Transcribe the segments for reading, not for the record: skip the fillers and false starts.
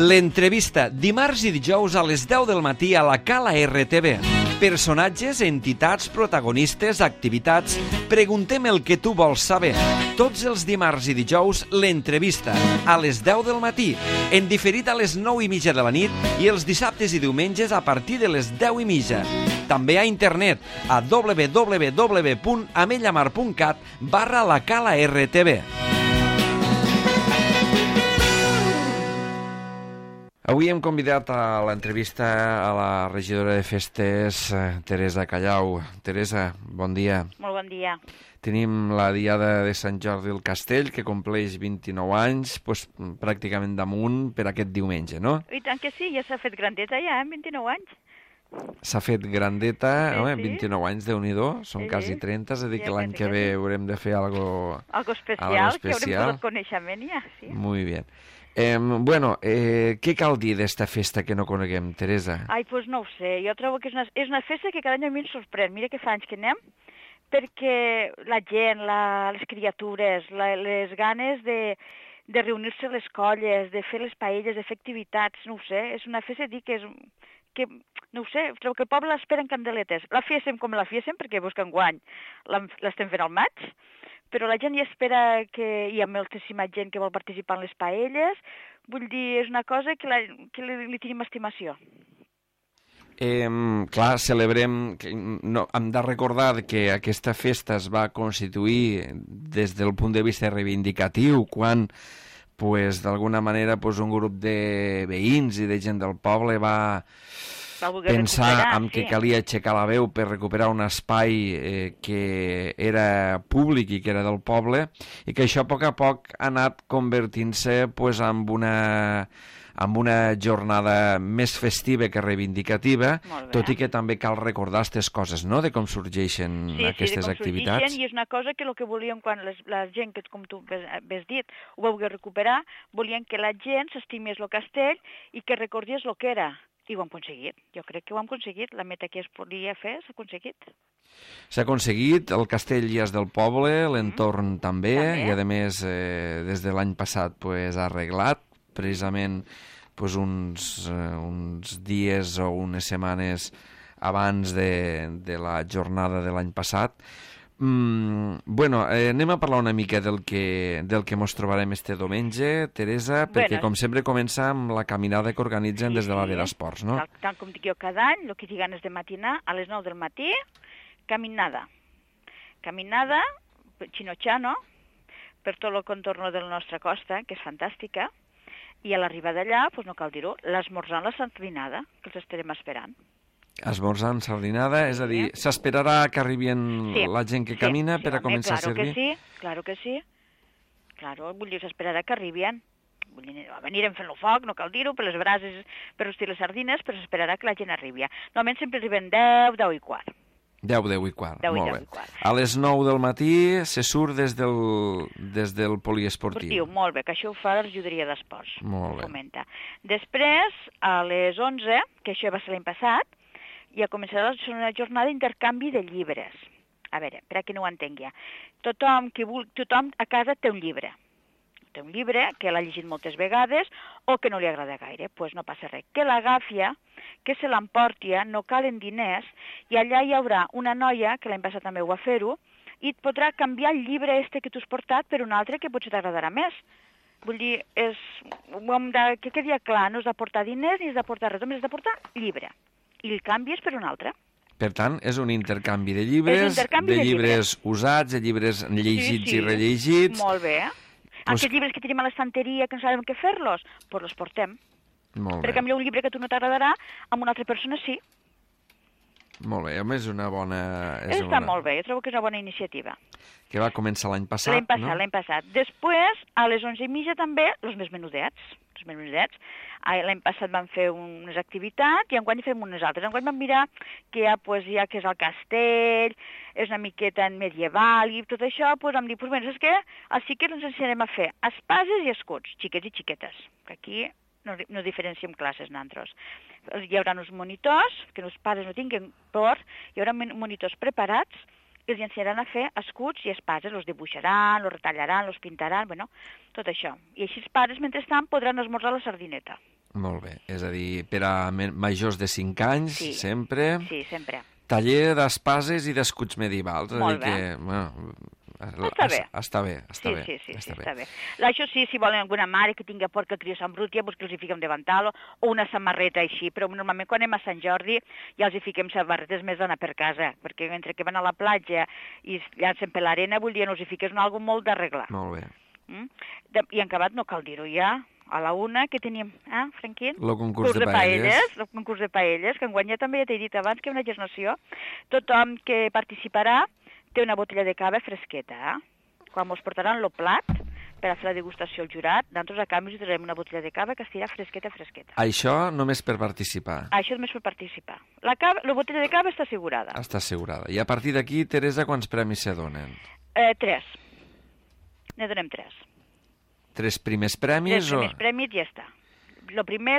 L'entrevista, dimarts i dijous a les 10 del matí a la Cala RTV. Personatges, entitats, protagonistes, activitats... Preguntem el que tu vols saber. Tots els dimarts i dijous, l'entrevista, a les 10 del matí, en diferit a les 9:30 de la nit i els dissabtes i diumenges a partir de les 10:30. També a internet a www.amellamar.cat/la Cala RTV. Avui hem convidat a l'entrevista a la regidora de festes, Teresa Callau. Teresa, bon dia. Molt bon dia. Tenim la diada de Sant Jordi del Castell, que compleix 29 anys, doncs, pràcticament damunt per aquest diumenge, no? I tant que sí, ja s'ha fet grandeta ja, en 29 anys. S'ha fet grandeta, sí, home, sí. 29 anys, Déu-n'hi-do, són quasi 30, és a dir, que l'any que ve haurem de fer algo especial, que haurem posat coneixement ja, sí. Muy bien. Què cal dir d'esta festa que no coneguem, Teresa? Ai, doncs no ho sé, jo trobo que és una festa que cada any a mi em sorprèn. Mira que fa anys que anem, perquè la gent, les criatures, les ganes de reunir-se a les colles, de fer les paelles, de fer activitats, no ho sé, és una festa, dic, que no ho sé, trobo que el poble l'espera en candeletes. La fiesem com la fiesem, perquè busquen guany, l'estem fent al maig, però la gent hi espera que hi ha moltíssima gent que vol participar en les paelles. Vull dir, és una cosa que li tenim estimació. Clar, celebrem... Hem de recordar que aquesta festa es va constituir des del punt de vista reivindicatiu, quan d'alguna manera un grup de veïns i de gent del poble va pensar que calia aixecar la veu per recuperar un espai que era públic i que era del poble, i que això a poc ha anat convertint-se en una jornada més festiva que reivindicativa, tot i que també cal recordar aquestes coses, no?, de com sorgeixen aquestes activitats. Sí, i és una cosa que el que volíem quan la gent, que com tu has dit, ho vau recuperar, volien que la gent s'estimés el castell i que recordés el que era. I ho hem aconseguit. Jo crec que ho hem aconseguit. La meta que es podia fer s'ha aconseguit. S'ha aconseguit, el castell ja és del poble, l'entorn també, i a més des de l'any passat ha arreglat, precisament uns dies o unes setmanes abans de la jornada de l'any passat. Anem a parlar una mica del que mos trobarem este diumenge, Teresa, perquè com sempre comença amb la caminada que organitzen des de l'àrea d'esports, no? Tant com dic jo cada any, el que tinc ganes de matinar, a les 9 del matí, caminada. Caminada, xino-xano, per tot el contorno de la nostra costa, que és fantàstica, i a l'arribada d'allà, no cal dir-ho, l'esmorzar en la sardinada, que els estarem esperant. Esmorzar en sardinada, és a dir, s'esperarà que arribin la gent que camina per a començar a servir? Claro que sí. Claro, vull dir, s'esperarà que arribin. Venirem fent el foc, no cal dir-ho, per les brases, per rostir les sardines, però s'esperarà que la gent arribi. Normalment sempre arriben 10, 10 i quart. 10 i quart, molt bé. A les 9 del matí se surt des del poliesportiu. Molt bé, que això ho fa la regidoria d'esports. Molt bé. Després, a les 11, que això va ser l'any passat, ja començarà una jornada d'intercanvi de llibres. A veure, per a qui no ho entengui. Tothom a casa té un llibre. Té un llibre que l'ha llegit moltes vegades o que no li agrada gaire. Doncs no passa res. Que l'agafi, que se l'emporti, no calen diners, i allà hi haurà una noia, que l'any passat també ho va fer-ho, i et podrà canviar el llibre que tu has portat per un altre que potser t'agradarà més. Vull dir, que quedi clar, no has de portar diners ni has de portar res, només has de portar llibre. I el canvies per un altre. Per tant, és un intercanvi de llibres, llibres usats, de llibres llegits i rellegits. Molt bé. Aquests llibres que tenim a l'estanteria que no sabem què fer-los, doncs els portem. Molt bé. Perquè potser un llibre que a tu no t'agradarà, amb una altra persona sí. Molt bé, home, és una bona... Està molt bé, jo trobo que és una bona iniciativa. Que va començar l'any passat, no? L'any passat. Després, a les 11:30 també, els més menudets. L'any passat vam fer unes activitats i enguany fem unes altres. Enguany vam mirar que hi ha poesia, que és el castell, és una miqueta medieval i tot això, vam dir, saps què? Els xiquets ens ensenyarem a fer espases i escuts, xiquets i xiquetes, que aquí no diferenciem classes nosaltres. Hi haurà uns monitors, que els pares no tinguin por, hi haurà monitors preparats que els ensenyaran a fer escuts i espases, els dibuixaran, els retallaran, els pintaran, tot això. I així els pares, mentrestant, podran esmorzar la sardineta. Molt bé, és a dir, per a majors de 5 anys, Sí. sempre. Sí, sempre. Taller d'espases i d'escuts medievals. Molt és a dir bé. que, bueno, Està bé. Està bé, Sí, bé. està bé. Això sí, si volen alguna mare que tingui por que el crió s'embruti, doncs que els hi fiquem davantalo, o una samarreta així, però normalment quan anem a Sant Jordi ja els hi fiquem samarretes més d'anar per casa, perquè mentre que van a la platja i es llancen per l'arena, vull dir, no els hi fiques algo molt d'arreglar. Molt bé. I en acabat no cal dir-ho ja, a la una que teníem, Franquín? El concurs de paelles. El concurs de paelles, que enguany ja també ja t'he dit abans que una gesnació. Tothom que participarà té una botella de cava fresqueta, Quan mos portaran el plat per a fer la degustació al jurat, nosaltres a canvi us traurem una botella de cava que estirà fresqueta. Això només per participar? Això només per participar. La botella de cava està assegurada. Està assegurada. I a partir d'aquí, Teresa, quants premis se donen? 3. Ne donem 3. 3 primers premis? 3 primers premis i ja està. El primer,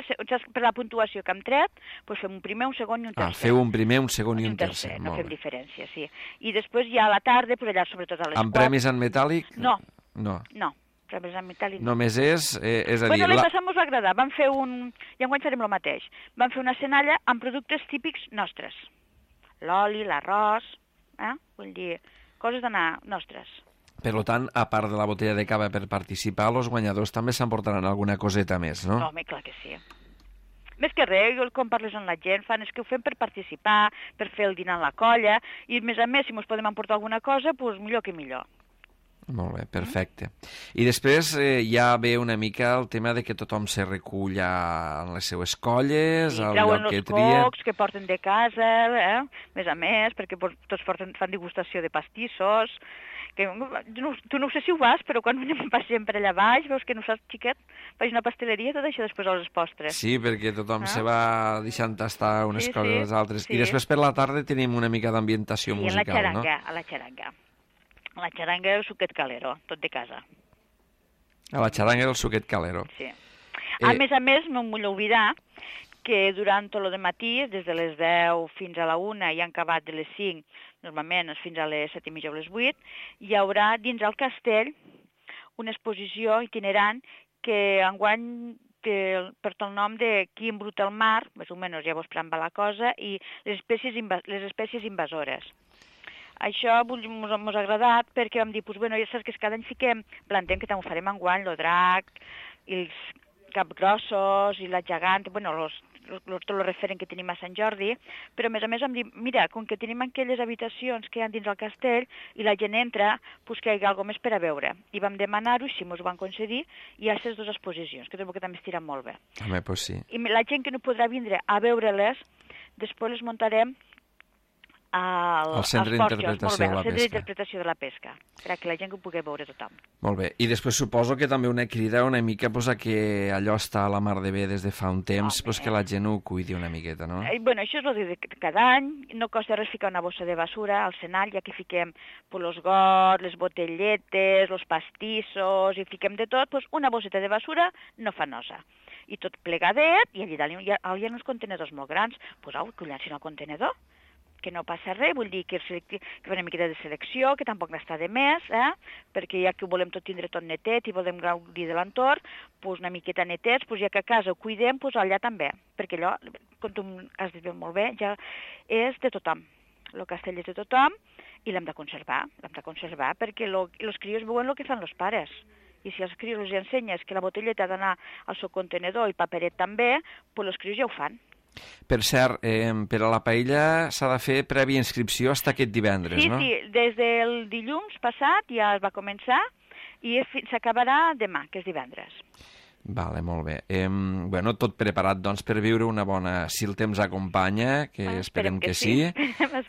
per la puntuació que hem tret, doncs fem un primer, un segon i un tercer. Feu un primer, un segon i un tercer. No fem diferència, sí. I després ja a la tarda, però allà sobretot a les 4... Amb premis en metàl·lic? No. No. Premis en metàl·lic no. Només és a dir... Bueno, l'any passat mos va agradar. Vam fer i enguany farem el mateix. Vam fer una cenalla amb productes típics nostres. L'oli, l'arròs, vull dir, coses d'anar nostres. Per tant, a part de la botella de cava per participar, els guanyadors també s'emportaran alguna coseta més, no? Home, clar que sí. Més que res, quan parles amb la gent, és que ho fem per participar, per fer el dinar en la colla, i a més, si ens podem emportar alguna cosa, doncs millor que millor. Molt bé, perfecte. I després ja ve una mica el tema de que tothom se recull en les seues colles, al lloc que trien. Treuen els cocs que porten de casa, més a més, perquè tots fan degustació de pastissos, que tu no sé si ho vas, però quan passem per allà baix, veus que nosaltres, xiquet, faig una pasteleria, tot això després a les postres. Sí, perquè tothom se va deixant tastar unes coses a les altres. I després per la tarda tenim una mica d'ambientació musical, no? A la xaranga. A la xaranga el suquet calero, tot de casa. A la xaranga el suquet calero. Sí. A més, no em vull oblidar que durant tot el matí, des de les 10 fins a la 1 i han acabat de les 5, normalment fins a les 7:30 o les 8, hi haurà dins el castell una exposició itinerant que enguany porta el nom de Qui embruta el mar, més o menys ja vos pramba la cosa, i les espècies invasores. Això ens ha agradat perquè vam dir, ja saps que cada any plantem que també ho farem enguany, el drac, i els capgrossos, i la gegant, tot el referent que tenim a Sant Jordi, però a més vam dir, mira, com que tenim aquelles habitacions que hi ha dins el castell i la gent entra, doncs que hi hagi alguna més per a veure. I vam demanar-ho, si ens ho van concedir, i hi ha aquestes 2 exposicions, que trobo que també estiran molt bé. Home, doncs sí. I la gent que no podrà vindre a veure-les, després les muntarem al Centre d'interpretació de la pesca, perquè la gent que ho pugui veure tothom. Molt bé. I després suposo que també una crida una mica a que allò està a la mar de bé des de fa un temps, que la gent ho cuidi una miqueta, no? Això és el de cada any. No costa res ficar una bossa de basura al cenall, ja que fiquem els gots, les botelletes, els pastissos, i fiquem de tot, una bosseta de basura no fa nosa. I tot plegadet, i allà dalt hi ha uns contenedors molt grans, que ho llancin al contenedor, que no passa res, vull dir que fa una miqueta de selecció, que tampoc n'està de més, perquè ja que ho volem tindre tot netet i volem gaudir de l'entorn, una miqueta netets, ja que a casa ho cuidem, allà també, perquè allò, com tu has dit molt bé, ja és de tothom. El castell és de tothom i l'hem de conservar, perquè els crios veuen el que fan els pares. I si als crios els ensenyes que la botelleta ha d'anar al seu contenedor i paperet també, doncs els crios ja ho fan. Per cert, per a la paella s'ha de fer prèvia inscripció fins aquest divendres, no? Sí, des del dilluns passat ja es va començar i s'acabarà demà, que és divendres. Vale, molt bé. Tot preparat, doncs, per viure una bona... Si el temps acompanya, que esperem que sí,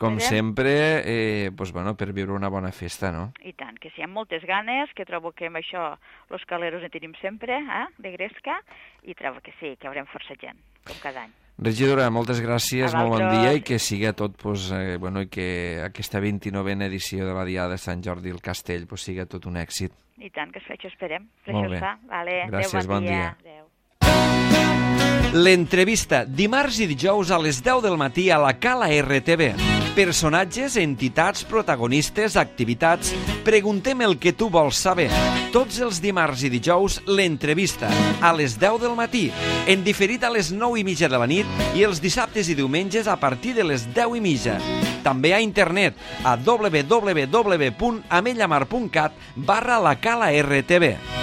com sempre, per viure una bona festa, no? I tant, que sí, amb moltes ganes, que trobo que amb això los caleros en tenim sempre, de gresca, i trobo que sí, que haurem força gent, com cada any. Regidora, moltes gràcies, molt bon dia i que siga tot, i que aquesta 29a edició de la Diada de Sant Jordi al Castell siga tot un èxit. I tant, que això esperem. Molt bé. Gràcies, bon dia. L'entrevista, dimarts i dijous a les 10 del matí a la Cala RTV. Personatges, entitats, protagonistes, activitats... Preguntem el que tu vols saber. Tots els dimarts i dijous, l'entrevista, a les 10 del matí, en diferit a les 9:30 de la nit i els dissabtes i diumenges a partir de les 10:30. També a internet a www.amellamar.cat/la Cala RTV.